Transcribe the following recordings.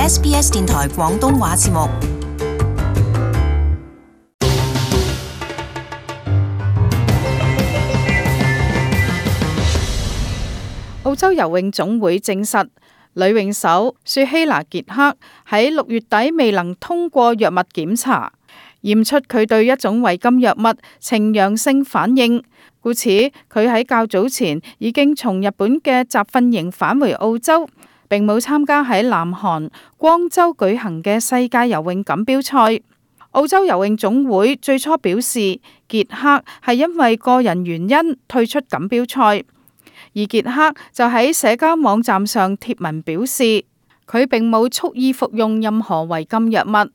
SBS 電台廣東話節目。澳洲游泳總會證實，女泳手雪希娜傑克喺6月底未能通過藥物檢查，驗出佢對一種違禁藥物呈陽性反應，故此佢喺較早前已經從日本嘅集訓營返回澳洲，並冇參加喺南韓光州舉行嘅世界游泳錦標賽。澳洲游泳總會最初表示，傑克係因為個人原因退出錦標賽。而傑克就喺社交網站上貼文表示，佢並冇蓄意服用任何違禁藥物。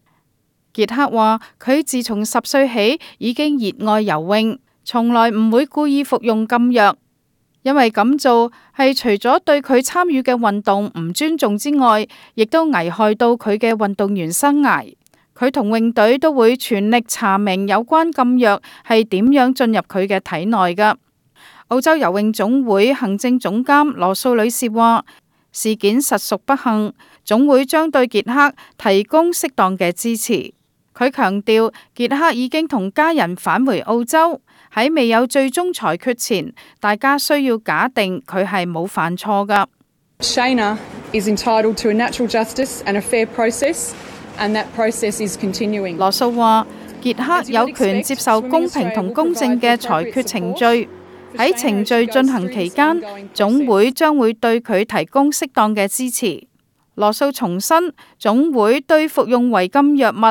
傑克話，佢自從10歲起已經熱愛游泳，從來唔會故意服用禁藥，因為咁做係除咗對佢參與嘅運動唔尊重之外，亦都危害到佢嘅運動員生涯。佢同泳隊都會全力查明有關禁藥係點樣進入佢嘅體內㗎。澳洲游泳總會行政總監羅素女士話，事件實屬不幸，總會將對傑克提供適當嘅支持。佢強調，傑克已經同家人返回澳洲，喺未有最終裁決前，大家需要假定佢係冇犯錯㗎。Shayna is entitled to a natural justice and a fair process, and that process is continuing. 羅素話，傑克有權接受公平同公正嘅裁決程序。喺程序進行期間，總會將會對佢提供適當嘅支持。羅素重申，總會對服用違禁藥物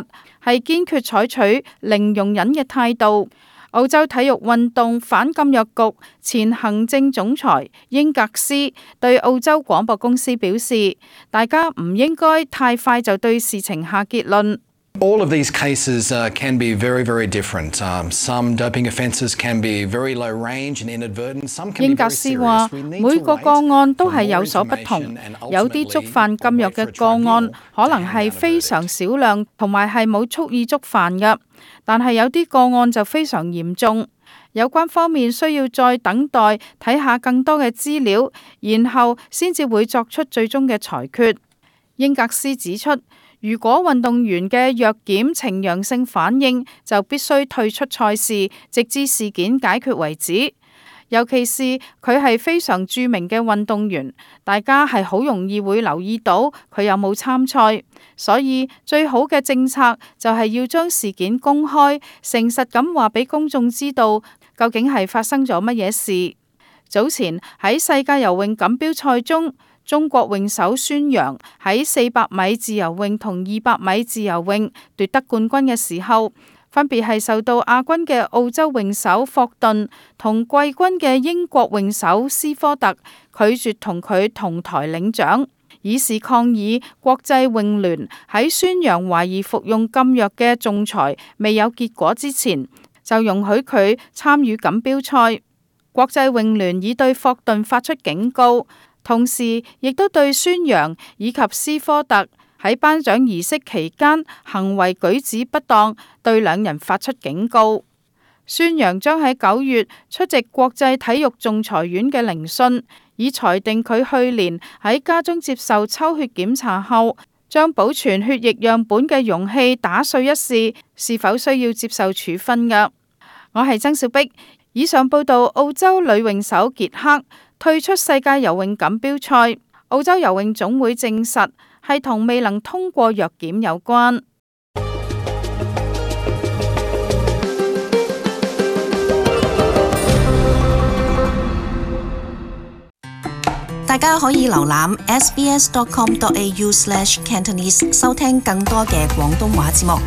係堅決採取零容忍嘅態度。澳洲體育運動反禁藥局前行政總裁英格斯對澳洲廣播公司表示，大家唔應該太快就對事情下結論。All of these cases can be very, very different. Some doping offences can be very low range and inadvertent. Some can be very serious. 英格斯話，每個個案都係有所不同，有啲觸犯禁藥嘅個案可能係非常少量，同埋係冇蓄意觸犯嘅，但係有啲個案就非常嚴重。有關方面需要再等待睇下更多嘅資料，然後先至會作出最終嘅裁決。英格斯指出，如果運動員嘅藥檢呈陽性反應，就必須退出賽事，直至事件解決為止。尤其是佢係非常著名嘅運動員，大家係好容易會留意到佢有冇參賽，所以最好嘅政策就係要將事件公開，誠實咁話俾公眾知道究竟係發生咗乜嘢事。早前喺世界游泳錦標賽中，中國泳手孫楊喺400米自由泳同200米自由泳奪得冠軍嘅時候，分別係受到亞軍嘅澳洲泳手霍頓同季軍嘅英國泳手斯科特拒絕同佢同台領獎，以示抗議國際泳聯喺孫楊懷疑服用禁藥嘅仲裁未有結果之前，就容許佢參與錦標賽。國際泳聯已對霍頓發出警告，同時亦都對孫楊以及斯科特喺頒獎儀式期間行為舉止不當，對兩人發出警告。孫楊將喺9月出席國際體育仲裁院嘅聆訊，以裁定佢去年喺家中接受抽血檢查後，將保存血液樣本嘅容器打碎一事，是否需要接受處分㗎。我係曾小碧，以上報道澳洲女泳手傑克退出世界游泳錦標賽，澳洲游泳總會證實係同未能通過藥檢有關。大家可以瀏覽 sbs.com.au/cantonese 收聽更多嘅廣東話節目。